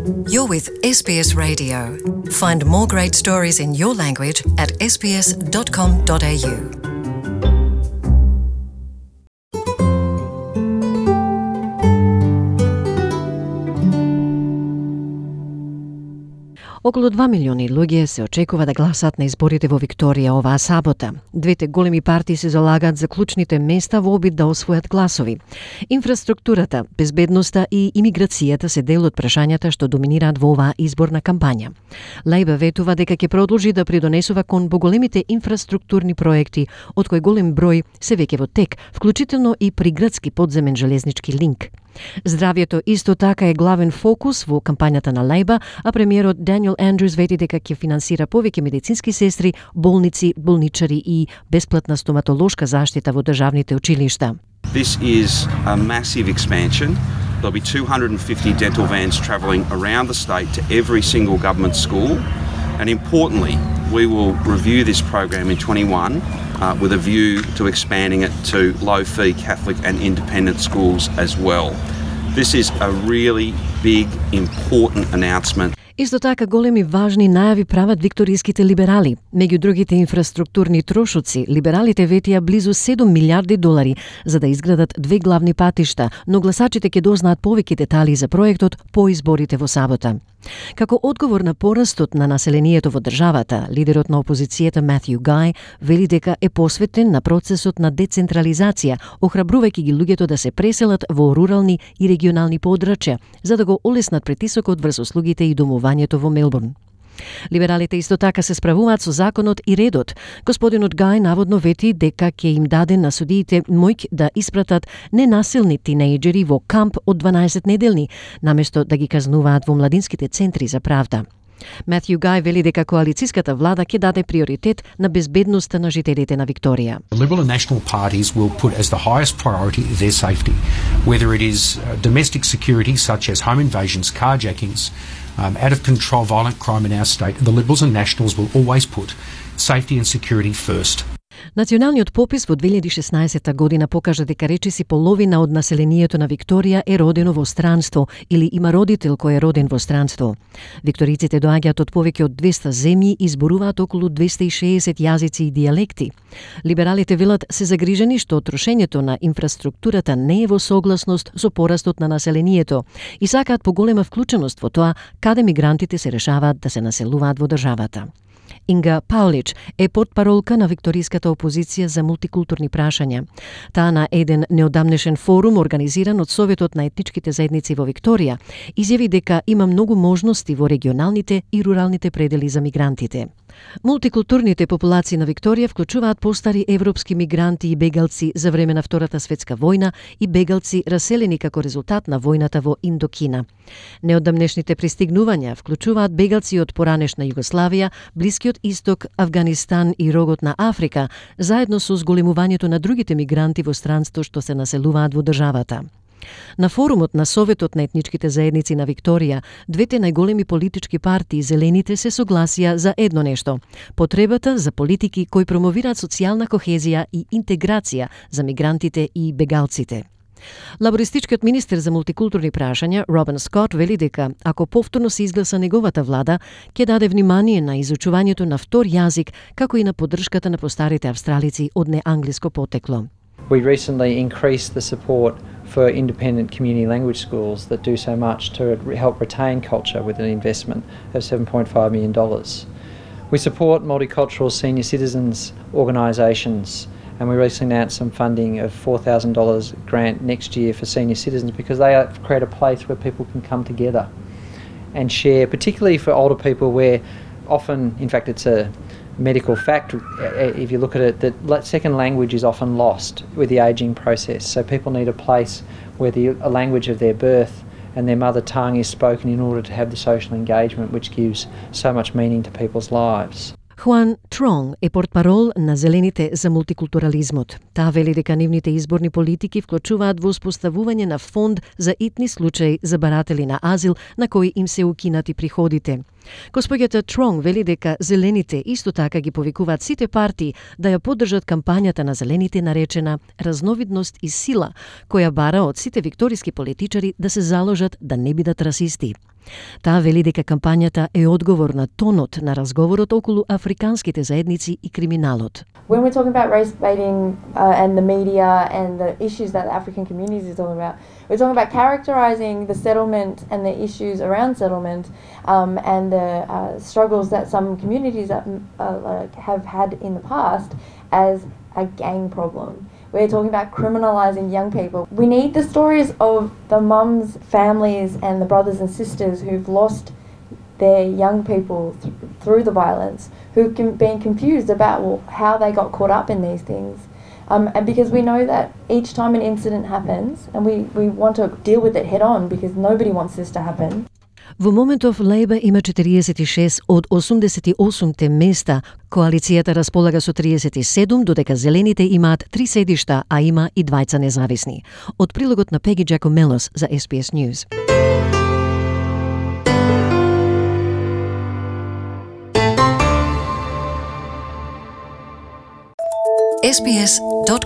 You're with SBS Radio. Find more great stories in your language at sbs.com.au. Околу 2 милиони луѓе се очекува да гласат на изборите во Викторија оваа сабота. Двете големи партии се залагаат за клучните места во обид да освојат гласови. Инфраструктурата, безбедноста и имиграцијата се дел од прашањата што доминираат во оваа изборна кампања. Лејбер ветува дека ќе продолжи да придонесува кон поголемите инфраструктурни проекти, од кои голем број се веќе во тек, вклучително и приградски подземен железнички линк. Здравјето исто така е главен фокус во кампањата на Лејбер, а премиерот Даниел Андрюс вети дека ќе финансира повеќе медицински сестри, болници, болничари и бесплатна стоматолошка заштита во државните училишта. This is a massive expansion. There'll be 250 dental vans travelling around the state to every single government school. And importantly, we will review this program in 21 with a view to expanding it to low-fee Catholic and independent schools as well. This is a really big, important announcement. Исто така големи важни најави прават викториските либерали. Меѓу другите инфраструктурни трошоци, либералите ветија близу 7 милиарди долари за да изградат две главни патишта, но гласачите ќе дознаат повеќе детали за проектот по изборите во сабота. Како одговор на порастот на населението во државата, лидерот на опозицијата Матју Гај вели дека е посветен на процесот на децентрализација, охрабрувајќи ги луѓето да се преселат во рурални и регионални подрачја, за да го олеснат притисокот врз услугите и домувањето во Мелбурн. Либералите исто така се справуваат со законот и редот. Господинот Гај наводно вети дека ќе им даде на судиите моќ да испратат ненасилни тинејџери во камп од 12 неделни, наместо да ги казнуваат во младинските центри за правда. Матју Гај вели дека коалицијската влада ќе даде приоритет на безбедноста на жителите на Викторија. The Liberal and National parties will put as the highest priority their safety, whether it is domestic security such as home invasions, carjackings, out of control violent crime in our state. The Liberals and Nationals will always put safety and security first. Националниот попис во 2016 година покажа дека речиси половина од населението на Викторија е родено во странство или има родител кој е роден во странство. Викториците доаѓаат од повеќе од 200 земји и зборуваат околу 260 јазици и дијалекти. Либералите велат се загрижени што трошењето на инфраструктурата не е во согласност со порастот на населението и сакаат поголема вклученост во тоа каде мигрантите се решаваат да се населуваат во државата. Инга Паулич е портпаролка на викториската опозиција за мултикултурни прашања. Таа на еден неодамнешен форум организиран од Советот на етничките заедници во Викторија изјави дека има многу можности во регионалните и руралните предели за мигрантите. Мултикултурните популации на Викторија вклучуваат постари европски мигранти и бегалци за време на Втората светска војна и бегалци раселени како резултат на војната во Индокина. Неодамнешните пристигнувања вклучуваат бегалци од поранешна Југославија, Блискиот Исток, Авганистан и рогот на Африка, заедно со зголемувањето на другите мигранти во странство што се населуваат во државата. На форумот на Советот на етничките заедници на Викторија, двете најголеми политички партии, Зелените, се согласија за едно нешто – потребата за политики кои промовираат социјална кохезија и интеграција за мигрантите и бегалците. Лабористичкиот министер за мултикултурни прашања Робин Скот вели дека ако повторно се изгласа неговата влада, ќе даде внимание на изучувањето на втор јазик, како и на поддршката на постарите австралици од неанглиско потекло. We recently increased the support for independent community language schools that do so much to help retain culture with an investment of $7.5 million. We support multicultural senior citizens organisations, and we recently announced some funding of $4,000 grant next year for senior citizens because they create a place where people can come together and share, particularly for older people where often, in fact it's a medical fact, if you look at it, that second language is often lost with the ageing process. So people need a place where a language of their birth and their mother tongue is spoken in order to have the social engagement which gives so much meaning to people's lives. Хуан Тронг е портпарол на Зелените за мултикултурализмот. Таа вели дека нивните изборни политики вклучуваат во успоставување на фонд за итни случаи за баратели на азил на кои им се укинати приходите. Госпоѓата Тронг вели дека зелените исто така ги повикуваат сите партии да ја поддржат кампањата на зелените наречена разновидност и сила, која бара од сите викториски политичари да се заложат да не бидат расисти. Таа вели дека кампањата е одговор на тонот на разговорот околу африканските заедници и криминалот. When we're talking about race baiting and the media and the issues that the African communities are talking about, we're talking about characterizing the settlement and the issues around settlement and the struggles that some communities have had in the past as a gang problem. We're talking about criminalising young people. We need the stories of the mums, families and the brothers and sisters who've lost their young people through the violence, who've been confused about how they got caught up in these things. And because we know that each time an incident happens, and we want to deal with it head on because nobody wants this to happen. Во моментов Лейбор има 46 од 88 места, коалицијата располага со 37, додека зелените имаат 3 седишта, а има и двајца независни. Од прилогот на Пеги Джакомелос за SBS News. sbs.com.au